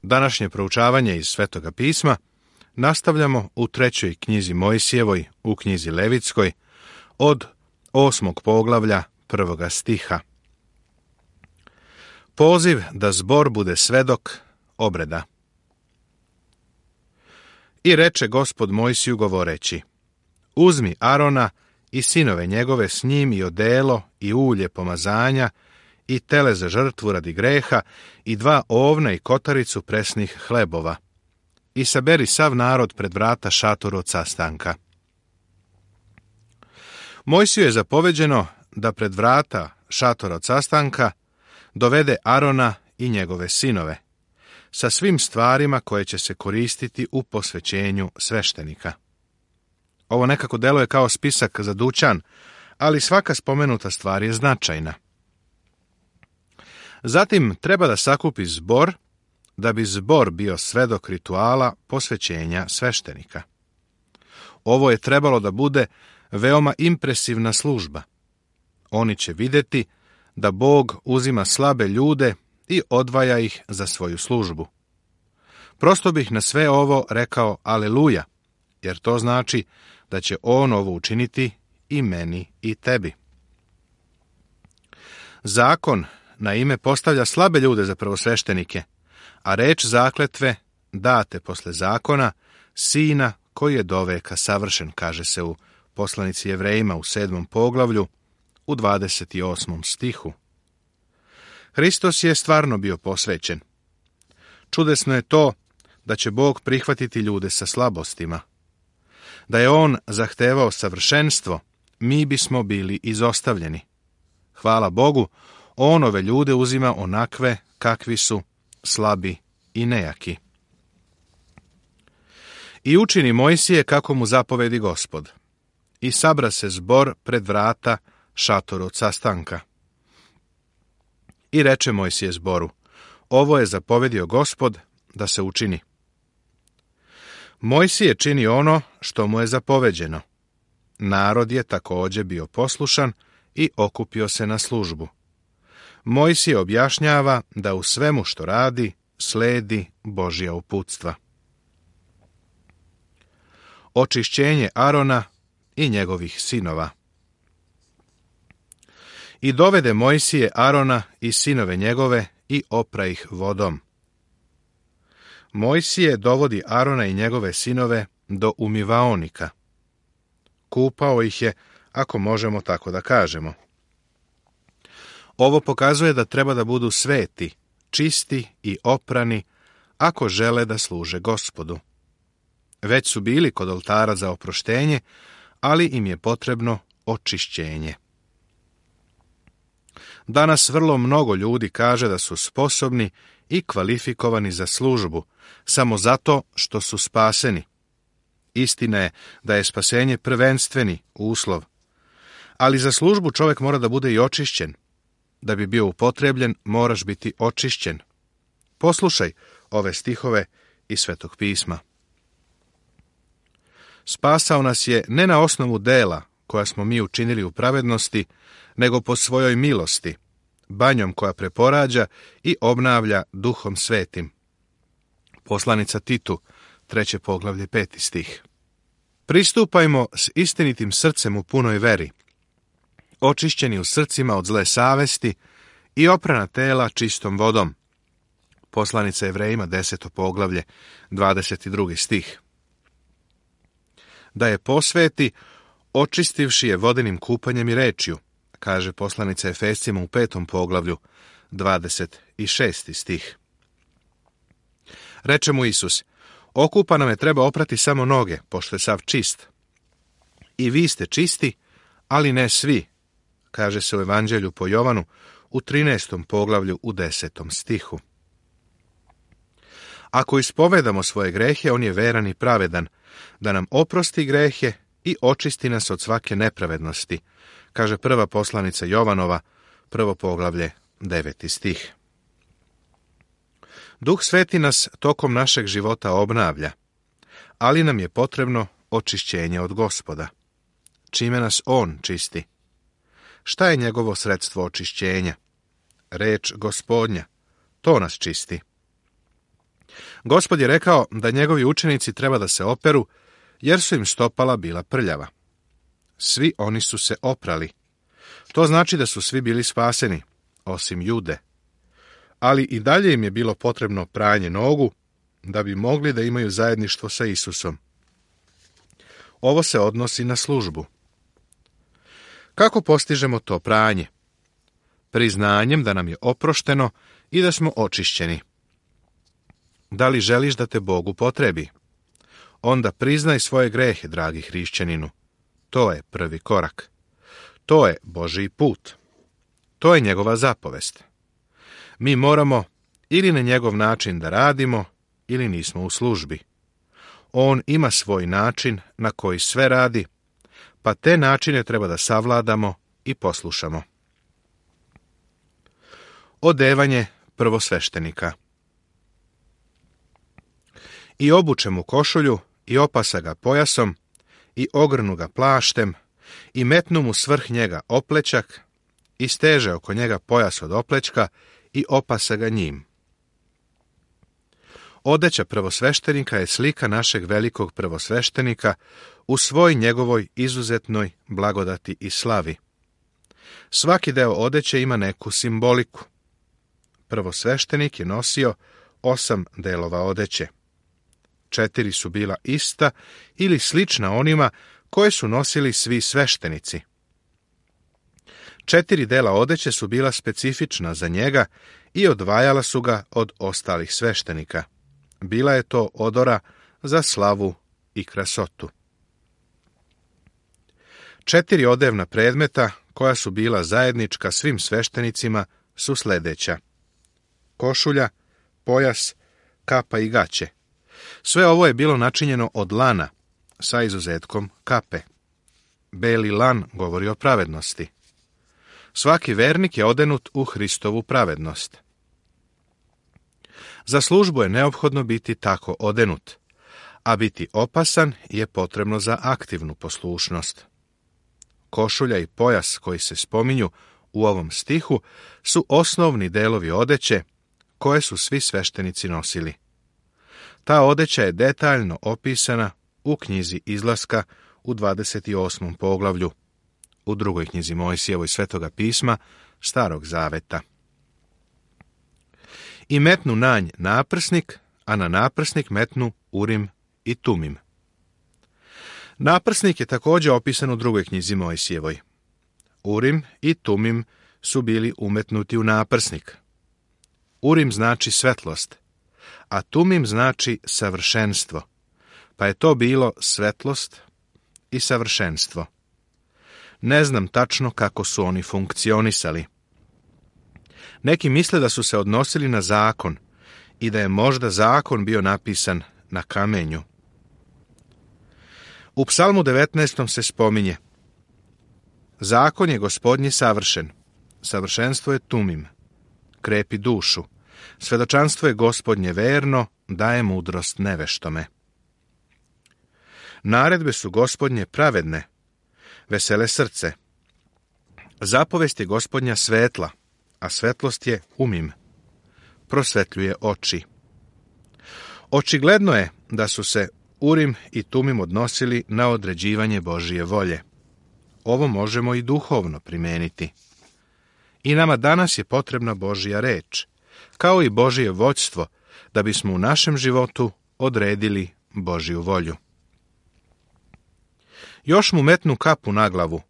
Današnje proučavanje iz Svetoga pisma nastavljamo u 3. knjizi Mojsijevoj, u knjizi Levitskoj, od 8. poglavlja 1. stiha. Poziv da zbor bude svedok obreda. I reče Gospod Mojsiju govoreći: Uzmi Arona i sinove njegove s njim i odelo i ulje pomazanja i tele za žrtvu radi greha i 2 ovna i kotaricu presnih hlebova i saberi sav narod pred vrata šatoru od sastanka. Mojsiju je zapoveđeno da pred vrata šatora od sastanka dovede Arona i njegove sinove sa svim stvarima koje će se koristiti u posvećenju sveštenika. Ovo nekako deluje kao spisak za dućan, ali svaka spomenuta stvar je značajna. Zatim treba da sakupi zbor, da bi zbor bio svedok rituala posvećenja sveštenika. Ovo je trebalo da bude veoma impresivna služba. Oni će vidjeti da Bog uzima slabe ljude i odvaja ih za svoju službu. Prosto bih na sve ovo rekao aleluja, jer to znači da će on ovo učiniti i meni i tebi. Zakon na ime postavlja slabe ljude za prvosveštenike, a reč zakletve date posle zakona sina koji je doveka savršen, kaže se u poslanici Jevrejima u 7. poglavlju u 28. stihu. Hristos je stvarno bio posvećen. Čudesno je to da će Bog prihvatiti ljude sa slabostima. Da je on zahtevao savršenstvo, mi bismo bili izostavljeni. Hvala Bogu, on ove ljude uzima onakve kakvi su, slabi i nejaki. I učini Mojsije kako mu zapovedi Gospod. I sabra se zbor pred vrata šatoru od sastanka. I reče Mojsije zboru: Ovo je zapovedio Gospod da se učini. Mojsije čini ono što mu je zapoveđeno. Narod je također bio poslušan i okupio se na službu. Mojsije objašnjava da u svemu što radi sledi Božja uputstva. Očišćenje Arona i njegovih sinova. I dovede Mojsije Arona i sinove njegove i opra ih vodom. Mojsije dovodi Arona i njegove sinove do umivaonika. Kupao ih je, ako možemo tako da kažemo. Ovo pokazuje da treba da budu sveti, čisti i oprani, ako žele da služe Gospodu. Već su bili kod oltara za oproštenje, ali im je potrebno očišćenje. Danas vrlo mnogo ljudi kaže da su sposobni i kvalifikovani za službu, samo zato što su spaseni. Istina je da je spasenje prvenstveni uslov, ali za službu čovjek mora da bude i očišćen. Da bi bio upotrebljen, moraš biti očišćen. Poslušaj ove stihove iz Svetog pisma. Spasao nas je ne na osnovu dela koja smo mi učinili u pravednosti, nego po svojoj milosti, banjom koja preporađa i obnavlja Duhom Svetim. Poslanica Titu, 3. poglavlje, 5. stih. Pristupajmo s istinitim srcem u punoj veri, očišćeni u srcima od zle savesti i oprana tela čistom vodom. Poslanica Jevrejima, 10. poglavlje, 22. stih. Da je posveti, očistivši je vodenim kupanjem i rečju, kaže poslanica Efescima u 5. poglavlju, 26. stih. Reče mu Isus: Okupanome treba oprati samo noge, pošto je sav čist. I vi ste čisti, ali ne svi, kaže se u Evanđelju po Jovanu u 13. poglavlju u 10. stihu. Ako ispovedamo svoje grehe, on je veran i pravedan, da nam oprosti grehe i očisti nas od svake nepravednosti, kaže prva poslanica Jovanova, 1. poglavlje, 9. stih. Duh Sveti nas tokom našeg života obnavlja, ali nam je potrebno očišćenje od Gospoda. Čime nas on čisti? Šta je njegovo sredstvo očišćenja? Reč Gospodnja. To nas čisti. Gospod je rekao da njegovi učenici treba da se operu, jer su im stopala bila prljava. Svi oni su se oprali. To znači da su svi bili spaseni, osim Jude. Ali i dalje im je bilo potrebno pranje nogu, da bi mogli da imaju zajedništvo sa Isusom. Ovo se odnosi na službu. Kako postižemo to pranje? Priznanjem da nam je oprošteno i da smo očišćeni. Da li želiš da te Bog upotrebi? Onda priznaj svoje grehe, dragi hrišćaninu. To je prvi korak. To je Božji put. To je njegova zapovest. Mi moramo ili na njegov način da radimo, ili nismo u službi. On ima svoj način na koji sve radi, pa te načine treba da savladamo i poslušamo. Odevanje prvosveštenika. I obuče mu košulju, i opasa ga pojasom, i ogrnu ga plaštem, i metnu mu svrh njega oplećak, i steže oko njega pojas od oplećka, i opasa ga njim. Odeća prvosveštenika je slika našeg velikog prvosveštenika u svoj njegovoj izuzetnoj blagodati i slavi. Svaki deo odeće ima neku simboliku. Prvosveštenik je nosio 8 delova odeće. 4 su bila ista ili slična onima koje su nosili svi sveštenici. 4 dela odeće su bila specifična za njega i odvajala su ga od ostalih sveštenika. Bila je to odora za slavu i krasotu. 4 odevna predmeta koja su bila zajednička svim sveštenicima su sljedeća: košulja, pojas, kapa i gaće. Sve ovo je bilo načinjeno od lana, sa izuzetkom kape. Beli lan govori o pravednosti. Svaki vernik je odenut u Hristovu pravednost. Za službu je neophodno biti tako odenut, a biti opasan je potrebno za aktivnu poslušnost. Košulja i pojas koji se spominju u ovom stihu su osnovni delovi odeće koje su svi sveštenici nosili. Ta odeća je detaljno opisana u knjizi Izlaska u 28. poglavlju, u drugoj knjizi Mojsijevoj Svetoga pisma, Starog zaveta. I metnu na nj naprsnik, a na naprsnik metnu Urim i Tumim. Naprsnik je također opisan u drugoj knjizi Mojsijevoj. Urim i Tumim su bili umetnuti u naprsnik. Urim znači svetlost, a Tumim znači savršenstvo, pa je to bilo svetlost i savršenstvo. Ne znam tačno kako su oni funkcionisali. Neki misle da su se odnosili na zakon i da je možda zakon bio napisan na kamenju. U Psalmu 19. se spominje: zakon je Gospodnji savršen, savršenstvo je Tumim, krepi dušu, svedočanstvo je Gospodnje verno, daje mudrost neveštome. Naredbe su Gospodnje pravedne, vesele srce. Zapovest je Gospodnja svetla, a svetlost je Umim, prosvetljuje oči. Očigledno je da su se Urim i Tumim odnosili na određivanje Božije volje. Ovo možemo i duhovno primeniti. I nama danas je potrebna Božja reč, kao i Božje vođstvo, da bismo u našem životu odredili Božju volju. Još mu metnu kapu na glavu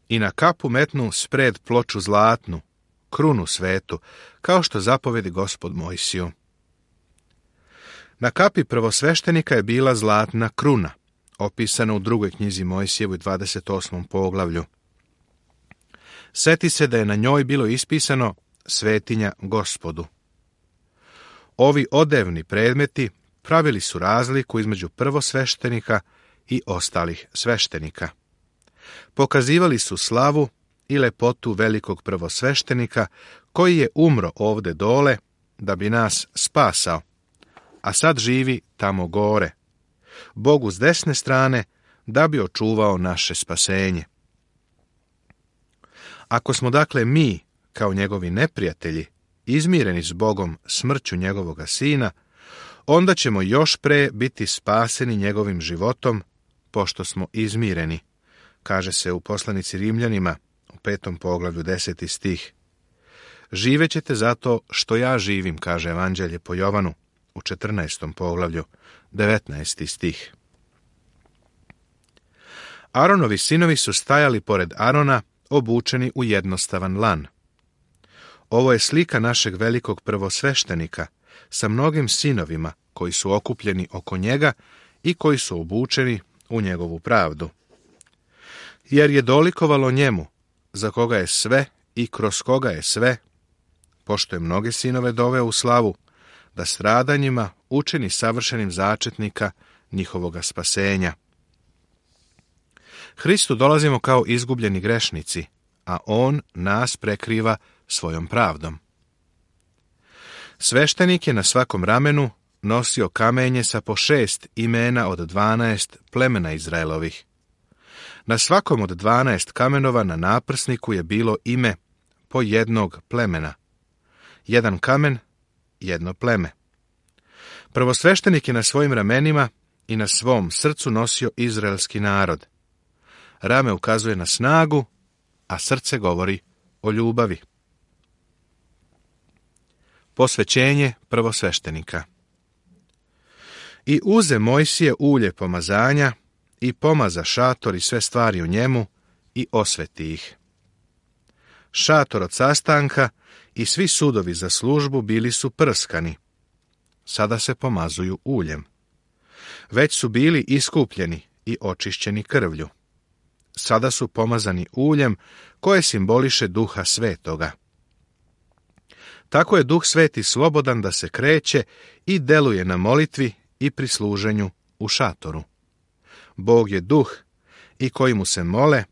i na kapu metnu spred ploču zlatnu, krunu svetu, kao što zapovedi Gospod Mojsiju. Na kapi prvosveštenika je bila zlatna kruna, opisana u drugoj knjizi Mojsijevoj 28. poglavlju. Seti se da je na njoj bilo ispisano svetinja Gospodu. Ovi odevni predmeti pravili su razliku između prvosveštenika i ostalih sveštenika. Pokazivali su slavu i lepotu velikog prvosveštenika koji je umro ovde dole da bi nas spasao, a sad živi tamo gore, Bogu s desne strane, da bi očuvao naše spasenje. Ako smo dakle mi, kao njegovi neprijatelji, izmireni s Bogom smrću njegovoga sina, onda ćemo još pre biti spaseni njegovim životom, pošto smo izmireni, kaže se u poslanici Rimljanima u 5. poglavlju 10. stih. Živećete zato što ja živim, kaže Evanđelje po Jovanu u 14. poglavlju 19. stih. Aronovi sinovi su stajali pored Arona, obučeni u jednostavan lan. Ovo je slika našeg velikog prvosveštenika sa mnogim sinovima koji su okupljeni oko njega i koji su obučeni u njegovu pravdu. Jer je dolikovalo njemu, za koga je sve i kroz koga je sve, pošto je mnoge sinove doveo u slavu, da stradanjima učini savršenim začetnika njihovoga spasenja. Hristu dolazimo kao izgubljeni grešnici, a on nas prekriva svojom pravdom. Sveštenik je na svakom ramenu nosio kamenje sa po 6 imena od 12 plemena Izraelovih. Na svakom od 12 kamenova na naprsniku je bilo ime po jednog plemena. Jedan kamen, jedno pleme. Prvosveštenik je na svojim ramenima i na svom srcu nosio izraelski narod. Rame ukazuje na snagu, a srce govori o ljubavi. Posvećenje prvosveštenika. I uze Mojsije ulje pomazanja i pomaza šator i sve stvari u njemu i osveti ih. Šator od sastanka i svi sudovi za službu bili su prskani. Sada se pomazuju uljem. Već su bili iskupljeni i očišćeni krvlju. Sada su pomazani uljem koje simboliše Duha Svetoga. Tako je Duh Sveti slobodan da se kreće i deluje na molitvi i pri služenju u šatoru. Bog je duh i koji mu se mole,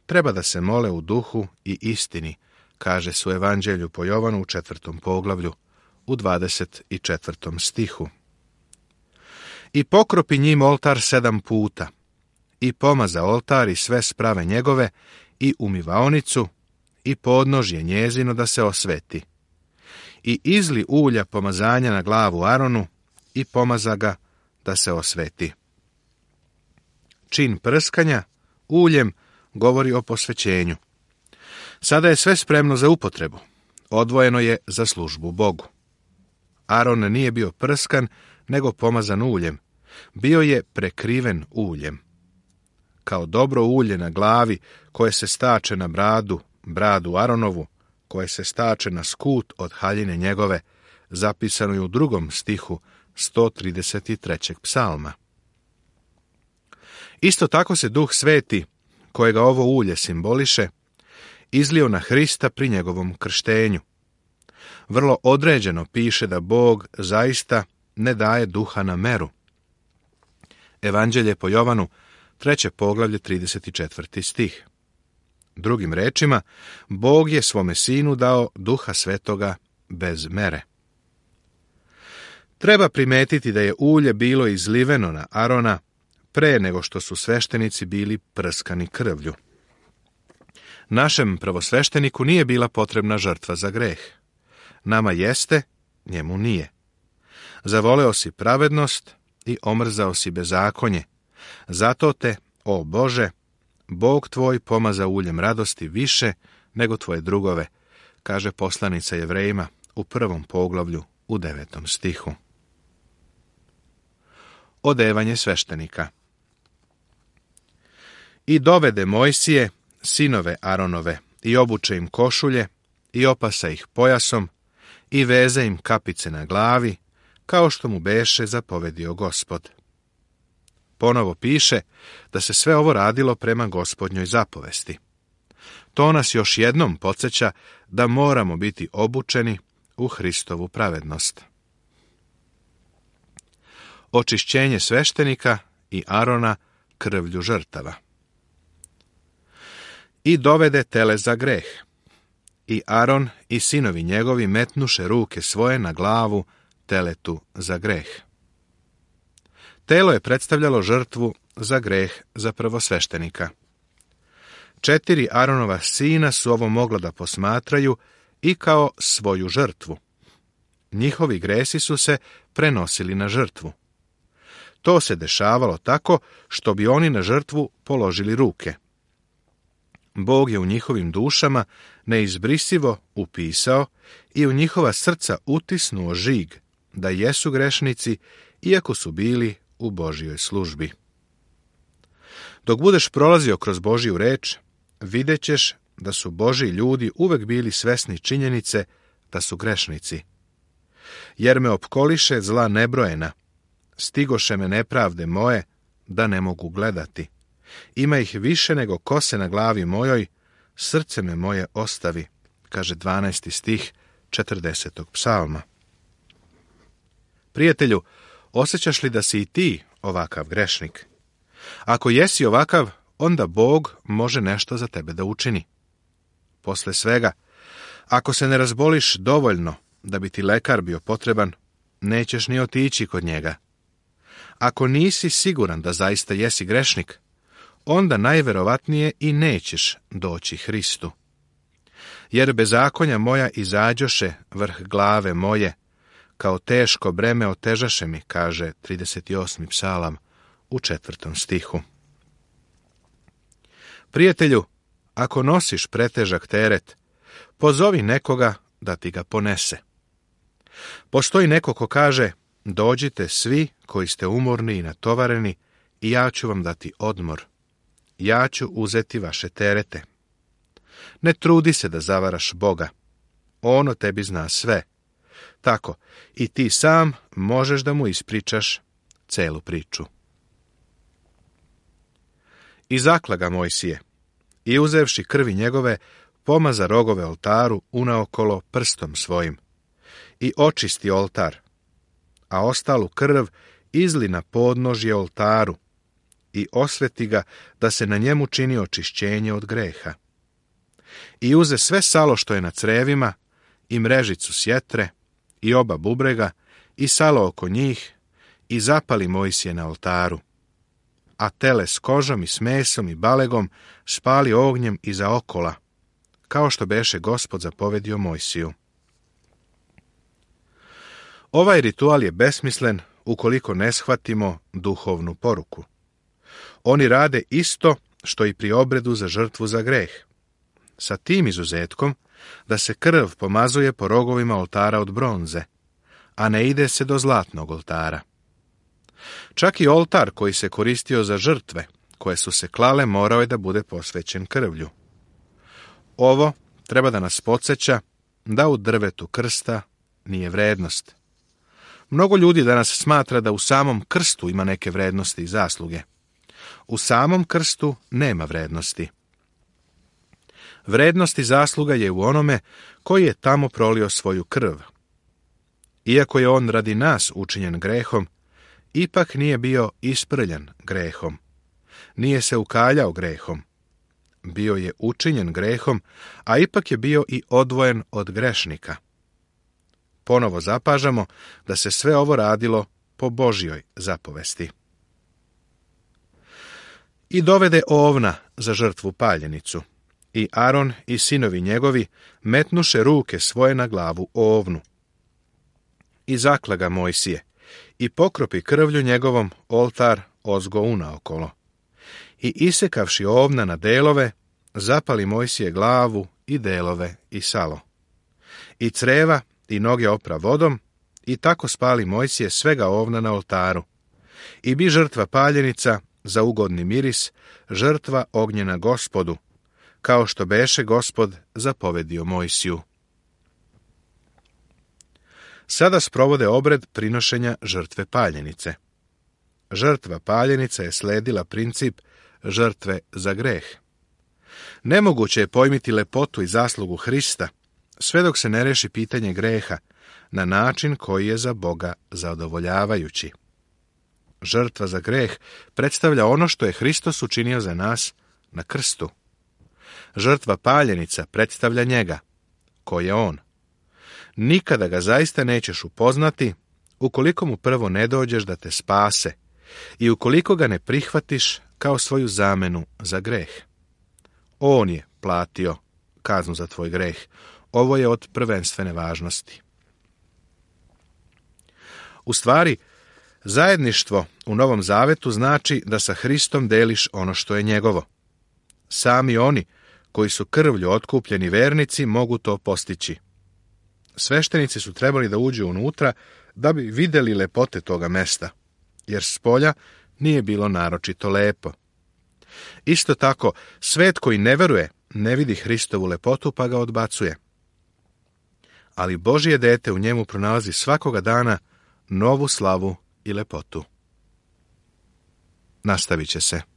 treba da se mole u duhu i istini, kaže se u Evanđelju po Jovanu u 4. poglavlju u 24. stihu. I pokropi njim oltar 7 puta, i pomaza oltar i sve sprave njegove, i umivaonicu, i podnožje njezino da se osveti. I izli ulja pomazanja na glavu Aronu, i pomaza ga da se osveti. Čin prskanja uljem govori o posvećenju. Sada je sve spremno za upotrebu. Odvojeno je za službu Bogu. Aron nije bio prskan, nego pomazan uljem. Bio je prekriven uljem. Kao dobro ulje na glavi, koje se stače na bradu Aronovu, koje se stače na skut od haljine njegove, zapisano je u 2. stihu 133. psalma. Isto tako se Duh Sveti, kojega ovo ulje simboliše, izlio na Hrista pri njegovom krštenju. Vrlo određeno piše da Bog zaista ne daje duha na meru. Evanđelje po Jovanu, 3. poglavlje, 34. stih. Drugim rečima, Bog je svome sinu dao Duha Svetoga bez mere. Treba primetiti da je ulje bilo izliveno na Arona pre nego što su sveštenici bili prskani krvlju. Našem prvosvešteniku nije bila potrebna žrtva za greh. Nama jeste, njemu nije. Zavoleo si pravednost i omrzao si bezakonje. Zato te, o Bože, Bog tvoj pomaza uljem radosti više nego tvoje drugove, kaže poslanica Jevrejima u 1. poglavlju u 9. stihu. Odevanje sveštenika. I dovede Mojsije, sinove Aronove, i obuče im košulje, i opasa ih pojasom, i veze im kapice na glavi, kao što mu beše zapovedio Gospod. Ponovo piše da se sve ovo radilo prema Gospodnjoj zapovesti. To nas još jednom podsjeća da moramo biti obučeni u Hristovu pravednost. Očišćenje sveštenika i Arona krvlju žrtava. I dovede tele za greh. I Aron i sinovi njegovi metnuše ruke svoje na glavu teletu za greh. Telo je predstavljalo žrtvu za greh za prvosveštenika. 4 Aronova sina su ovo mogla da posmatraju i kao svoju žrtvu. Njihovi gresi su se prenosili na žrtvu. To se dešavalo tako što bi oni na žrtvu položili ruke. Bog je u njihovim dušama neizbrisivo upisao i u njihova srca utisnuo žig da jesu grešnici, iako su bili u Božjoj službi. Dok budeš prolazio kroz Božju reč, vidjet ćeš da su Božji ljudi uvek bili svesni činjenice da su grešnici. Jer me opkoliše zla nebrojena, stigoše me nepravde moje, da ne mogu gledati. Ima ih više nego kose na glavi mojoj, srce me moje ostavi, kaže 12. stih 40. psalma. Prijatelju, osjećaš li da si i ti ovakav grešnik? Ako jesi ovakav, onda Bog može nešto za tebe da učini. Posle svega, ako se ne razboliš dovoljno da bi ti lekar bio potreban, nećeš ni otići kod njega. Ako nisi siguran da zaista jesi grešnik, onda najverovatnije i nećeš doći Hristu. Jer bezakonja moja izađoše vrh glave moje, kao teško breme otežaše mi, kaže 38. psalam u 4. stihu. Prijatelju, ako nosiš pretežak teret, pozovi nekoga da ti ga ponese. Postoji neko ko kaže, dođite svi koji ste umorni i natovareni i ja ću vam dati odmor. Ja ću uzeti vaše terete. Ne trudi se da zavaraš Boga. On o tebi zna sve. Tako, i ti sam možeš da mu ispričaš celu priču. I zakla ga Mojsije, i uzevši krvi njegove, pomaza rogove oltaru unaokolo prstom svojim, i očisti oltar, a ostalu krv izli na podnožje oltaru, i osveti ga da se na njemu čini očišćenje od greha. I uze sve salo što je na crevima, i mrežicu sjetre, i oba bubrega, i salo oko njih, i zapali Mojsije na oltaru. A tele s kožom i s mesom i balegom spali ognjem iza okola, kao što beše Gospod zapovedio Mojsiju. Ovaj ritual je besmislen ukoliko ne shvatimo duhovnu poruku. Oni rade isto što i pri obredu za žrtvu za greh, sa tim izuzetkom da se krv pomazuje po rogovima oltara od bronze, a ne ide se do zlatnog oltara. Čak i oltar koji se koristio za žrtve, koje su se klale, morao je da bude posvećen krvlju. Ovo treba da nas podsjeća da u drvetu krsta nije vrednost. Mnogo ljudi danas smatra da u samom krstu ima neke vrednosti i zasluge. U samom krstu nema vrednosti. Vrednost i zasluga je u onome koji je tamo prolio svoju krv. Iako je on radi nas učinjen grehom, ipak nije bio isprljan grehom. Nije se ukaljao grehom. Bio je učinjen grehom, a ipak je bio i odvojen od grešnika. Ponovo zapažamo da se sve ovo radilo po Božjoj zapovesti. I dovede ovna za žrtvu paljenicu. I Aron i sinovi njegovi metnuše ruke svoje na glavu ovnu. I zakla ga Mojsije, i pokropi krvlju njegovom oltar ozgo unaokolo. I isekavši ovna na delove, zapali Mojsije glavu i delove i salo. I creva i noge opra vodom, i tako spali Mojsije svega ovna na oltaru. I bi žrtva paljenica za ugodni miris, žrtva ognjena Gospodu, kao što beše Gospod zapovedio Mojsiju. Sada sprovode obred prinošenja žrtve paljenice. Žrtva paljenica je sledila princip žrtve za greh. Nemoguće je pojmiti lepotu i zaslugu Hrista, sve dok se ne reši pitanje greha na način koji je za Boga zadovoljavajući. Žrtva za greh predstavlja ono što je Hristos učinio za nas na krstu. Žrtva paljenica predstavlja njega, ko je on. Nikada ga zaista nećeš upoznati ukoliko mu prvo ne dođeš da te spase i ukoliko ga ne prihvatiš kao svoju zamenu za greh. On je platio kaznu za tvoj greh. ovo je od prvenstvene važnosti. U stvari, zajedništvo u Novom Zavetu znači da sa Hristom deliš ono što je njegovo. Sami oni koji su krvlju otkupljeni vernici mogu to postići. Sveštenici su trebali da uđu unutra da bi vidjeli lepote toga mesta, jer spolja nije bilo naročito lepo. Isto tako, svet koji ne veruje, ne vidi Hristovu lepotu pa ga odbacuje. Ali Božje dete u njemu pronalazi svakoga dana novu slavu i lepotu. Nastavit će se.